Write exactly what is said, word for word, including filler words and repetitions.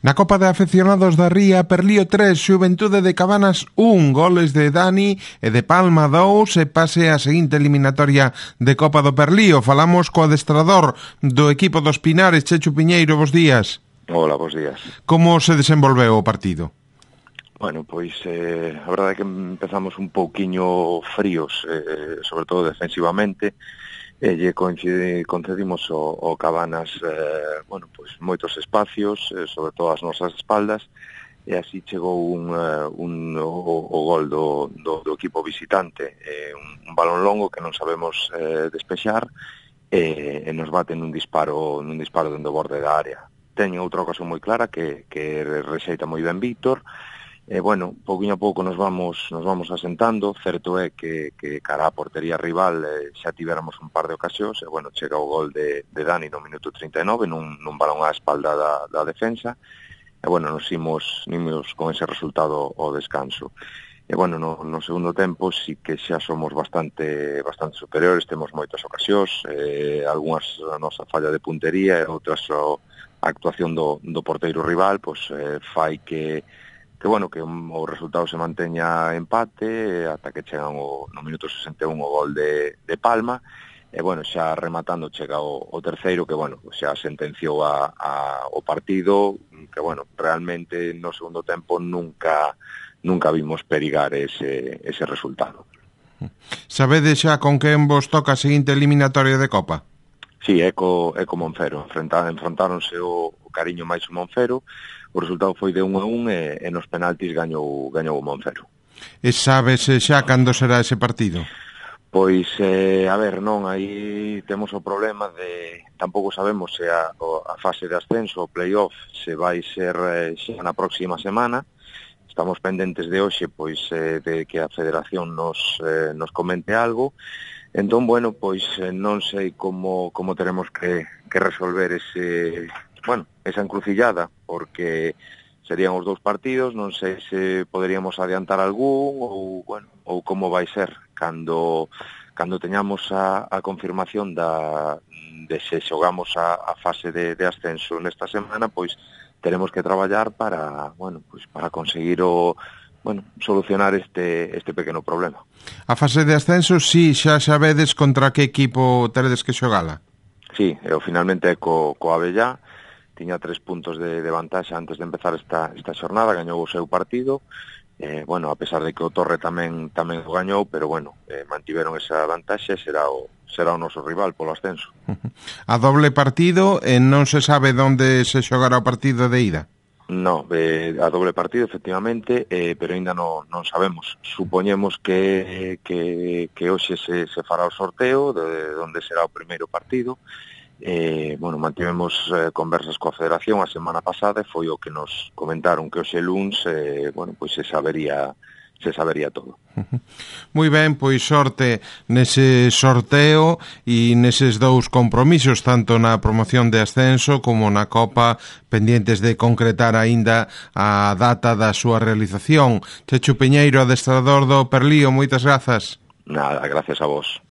Na Copa de Afeccionados da Ría, Perlío tres, Xuventude de Cabanas un, goles de Dani e de Palma dous e pase a seguinte eliminatoria de Copa do Perlío. Falamos co adestrador do equipo dos Pinares, Chechu Piñeiro, bos días. Hola, bos días. Como se desenvolveu o partido? Bueno, pois eh, a verdade é que empezamos un pouquiño fríos, eh, sobre todo defensivamente, e lle concedimos o, o Cabanas eh, bueno, pois moitos espacios, eh, sobre todo as nosas espaldas, e así chegou un, uh, un o, o gol do, do, do equipo visitante, eh, un, un balón longo que non sabemos eh, despexar, e, e nos bate nun disparo nun disparo dentro do borde da área. Teño outra ocasión moi clara que, que rexeita moi ben Víctor. E, bueno, pouquinho a pouco nos vamos nos vamos asentando. Certo é que, que cara a portería rival eh, xa tivéramos un par de ocasións, e, bueno, chega o gol de, de Dani no minuto trinta e nove nun, nun balón á espalda da, da defensa, e, bueno, nos imos, imos con ese resultado ao descanso. E, bueno, no, no segundo tempo sí que xa somos bastante bastante superiores, temos moitas ocasións, eh, algunhas a nosa falla de puntería e outras a actuación do, do porteiro rival, pois eh, fai que que, bueno, que o resultado se manteña empate ata que chegan o, no minuto sesenta e un o gol de, de Palma, e, bueno, xa rematando chega o, o terceiro que, bueno, xa sentenciou a, a, o partido, que, bueno, realmente no segundo tempo nunca nunca vimos perigar ese, ese resultado. Sabedes xa con quen vos toca a seguinte eliminatoria de Copa? Sí, é co, é co Monfero. Enfrontáronse o, o Cariño máis o Monfero. O resultado foi de un a un e, e nos penaltis gañou, gañou o Monfero. E sabes xa cando será ese partido? Pois, eh, a ver, non, aí temos o problema de... Tampouco sabemos se a, a fase de ascenso, o play-off, se vai ser eh, xa na próxima semana. Estamos pendentes de hoxe, pois, eh, de que a Federación nos, eh, nos comente algo. Entón, bueno, pois eh, non sei como, como teremos que, que resolver ese... bueno, esa encrucillada, porque serían os dous partidos, non sei se poderíamos adiantar algún ou, bueno, ou como vai ser cando cando teñamos a, a confirmación da de se xogamos a, a fase de, de ascenso nesta semana, pois teremos que traballar para, bueno, pois para conseguir o bueno, solucionar este este pequeno problema. A fase de ascenso, si, xa sabedes contra que equipo teredes que xogala? Sí, eu finalmente co, co Avellá, tiña tres puntos de, de vantaxe antes de empezar esta, esta xornada, gañou o seu partido, eh, bueno, a pesar de que o Torre tamén tamén o gañou, pero, bueno, eh, mantiveron esa vantaxe, será o, será o noso rival polo ascenso. A doble partido, e non se sabe onde se xogará o partido de ida? No, eh, a doble partido, efectivamente, eh, pero ainda non, non sabemos. Supoñemos que, que, que hoxe se, se fará o sorteo de, de onde será o primeiro partido. Eh, bueno, mantivemos eh, conversas coa Federación a semana pasada e foi o que nos comentaron que hoxe luns eh, bueno, pois se sabería se sabería todo. Moi ben, pois sorte nese sorteo e neses dous compromisos, tanto na promoción de ascenso como na Copa, pendientes de concretar aínda a data da súa realización. Chechu Piñeiro, adestrador do Perlío, moitas grazas. Nada, gracias a vos.